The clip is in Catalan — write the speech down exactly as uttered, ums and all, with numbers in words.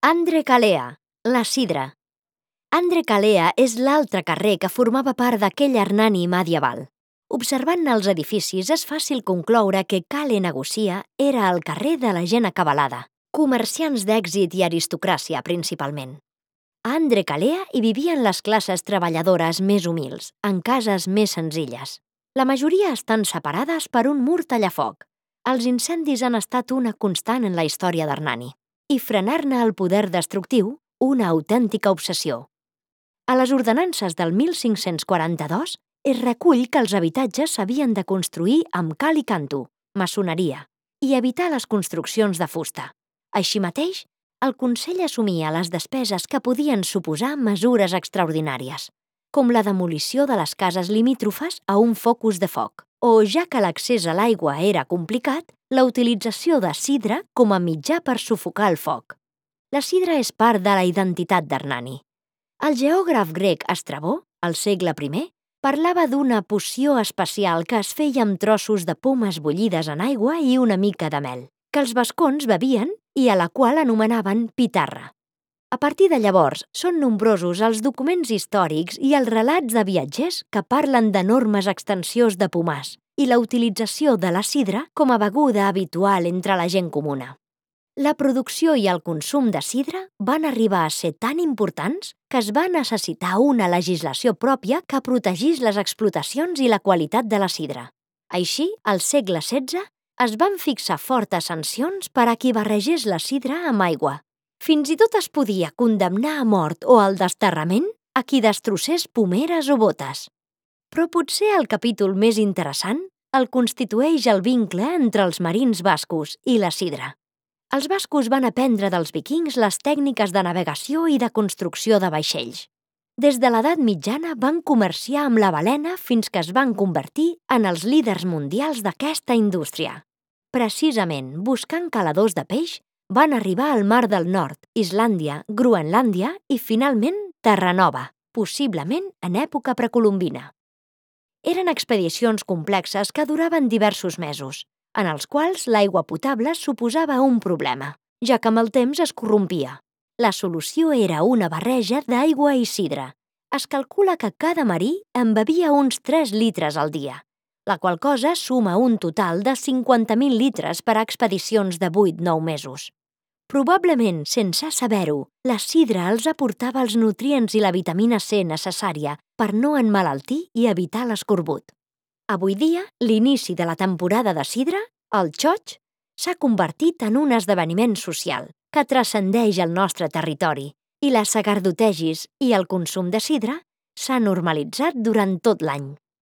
Andre Calea, la Sidra. Andre Calea és l'altre carrer que formava part d'aquell Hernani medieval. Observant els edificis és fàcil concloure que Cale Negocia era el carrer de la gent acabalada, comerciants d'èxit i aristocràcia principalment. A Andre Calea hi vivien les classes treballadores més humils, en cases més senzilles. La majoria estan separades per un mur tallafoc. Els incendis han estat una constant en la història d'Hernani, i frenar-ne el poder destructiu, una autèntica obsessió. A les ordenances del mil cinc-cents quaranta-dos es recull que els habitatges s'havien de construir amb cal i canto, maçoneria, i evitar les construccions de fusta. Així mateix, el Consell assumia les despeses que podien suposar mesures extraordinàries, com la demolició de les cases limítrofes a un focus de foc, o, ja que l'accés a l'aigua era complicat, la utilització de sidra com a mitjà per sufocar el foc. La sidra és part de la identitat d'Hernani. El geògraf grec Estrabó, al segle primer, parlava d'una poció especial que es feia amb trossos de pomes bullides en aigua i una mica de mel, que els vascons bevien i a la qual anomenaven pitarra. A partir de llavors, són nombrosos els documents històrics i els relats de viatgers que parlen d'enormes extensions de pomars i la utilització de la sidra com a beguda habitual entre la gent comuna. La producció i el consum de sidra van arribar a ser tan importants que es va necessitar una legislació pròpia que protegís les explotacions i la qualitat de la sidra. Així, al segle setze, es van fixar fortes sancions per a qui barregés la sidra amb aigua. Fins i tot es podia condemnar a mort o al desterrament a qui destrossés pomeres o botes. Però potser el capítol més interessant el constitueix el vincle entre els marins bascos i la sidra. Els bascos van aprendre dels vikings les tècniques de navegació i de construcció de vaixells. Des de l'edat mitjana van comerciar amb la balena fins que es van convertir en els líders mundials d'aquesta indústria. Precisament buscant caladors de peix, van arribar al Mar del Nord, Islàndia, Groenlàndia i, finalment, Terranova, possiblement en època precolombina. Eren expedicions complexes que duraven diversos mesos, en els quals l'aigua potable suposava un problema, ja que amb el temps es corrompia. La solució era una barreja d'aigua i sidra. Es calcula que cada marí en bevia uns tres litres al dia, la qual cosa suma un total de cinquanta mil litres per a expedicions de vuit a nou mesos. Probablement, sense saber-ho, la sidra els aportava els nutrients i la vitamina C necessària per no emmalaltir i evitar l'escorbut. Avui dia, l'inici de la temporada de sidra, el xoig, s'ha convertit en un esdeveniment social que transcendeix el nostre territori i les sagardotegis i el consum de sidra s'ha normalitzat durant tot l'any.